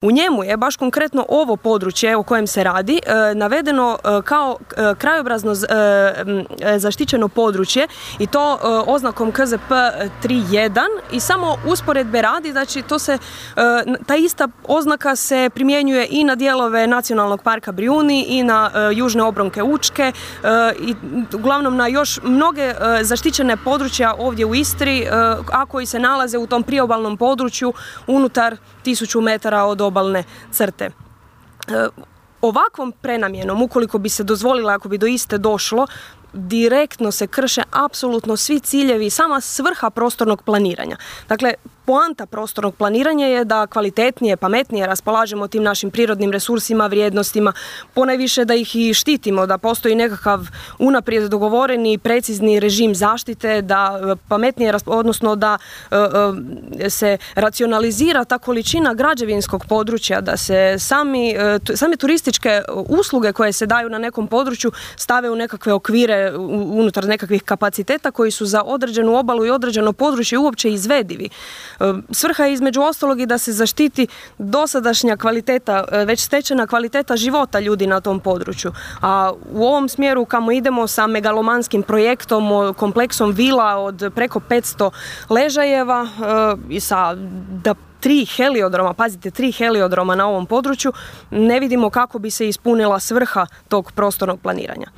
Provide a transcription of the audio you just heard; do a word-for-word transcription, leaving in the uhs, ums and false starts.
U njemu je baš konkretno ovo područje o kojem se radi e, navedeno e, kao e, krajobrazno z, e, zaštićeno područje i to e, oznakom K Z P tri jedan i samo usporedbe radi, znači to se, e, ta ista oznaka se primjenjuje i na dijelove Nacionalnog parka Brijuni i na e, južne obronke Učke e, i uglavnom na još mnoge e, zaštićene područja ovdje u Istri, e, a koji se nalaze u tom priobalnom području unutar tisuću metara od obalne crte. E, ovakvom prenamjenom, ukoliko bi se dozvolila, ako bi do iste došlo, direktno se krše apsolutno svi ciljevi i sama svrha prostornog planiranja. Dakle, poanta prostornog planiranja je da kvalitetnije, pametnije raspolažemo tim našim prirodnim resursima, vrijednostima, ponajviše da ih i štitimo, da postoji nekakav unaprijed dogovoreni precizni režim zaštite, da pametnije, odnosno da e, e, se racionalizira ta količina građevinskog područja, da se sami, e, same turističke usluge koje se daju na nekom području stave u nekakve okvire unutar nekakvih kapaciteta koji su za određenu obalu i određeno područje uopće izvedivi. Svrha je između ostalog i da se zaštiti dosadašnja kvaliteta, već stečena kvaliteta života ljudi na tom području. A u ovom smjeru kamo idemo sa megalomanskim projektom, kompleksom vila od preko petsto ležajeva i sa da tri heliodroma, pazite, tri heliodroma na ovom području, ne vidimo kako bi se ispunila svrha tog prostornog planiranja.